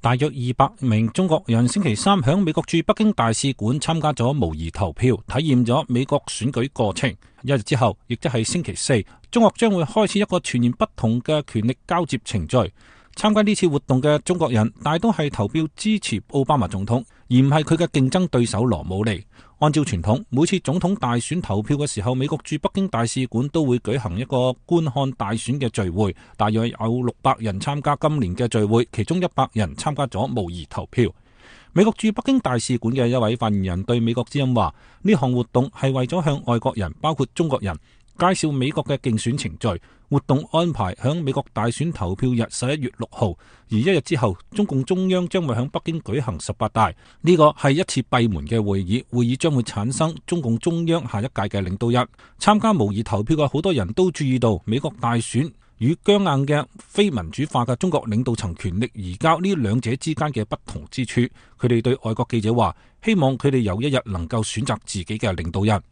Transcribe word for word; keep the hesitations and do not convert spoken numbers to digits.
大約二百名中國人星期三響美國駐北京大使館參加咗模擬投票，體驗咗美國選舉過程。一日之後，亦即係星期四，中國將會開始一個全然不同嘅權力交接程序。參加呢次活動嘅中國人大都係投票支持奧巴馬總統，而唔係佢嘅競爭對手羅姆尼。按照傳統，每次總統大選投票嘅時候，美國駐北京大使館都會舉行一個觀看大選嘅聚會，大約有六百人參加今年嘅聚會，其中一百人參加咗模擬投票。美國駐北京大使館嘅一位發言人對美國之音話：呢項活動係為咗向外國人，包括中國人，介紹美國嘅競選程序。活動安排響美國大選投票日十一月六號，而一日之後，中共中央將會響北京舉行十八大。呢個係一次閉門嘅會議，會議將會產生中共中央下一屆嘅領導人。參加模擬投票嘅好多人都注意到，美國大選與僵硬嘅非民主化嘅中國領導層權力移交呢兩者之間嘅不同之處。佢哋對外國記者話：希望佢哋有一日能夠選擇自己嘅領導人。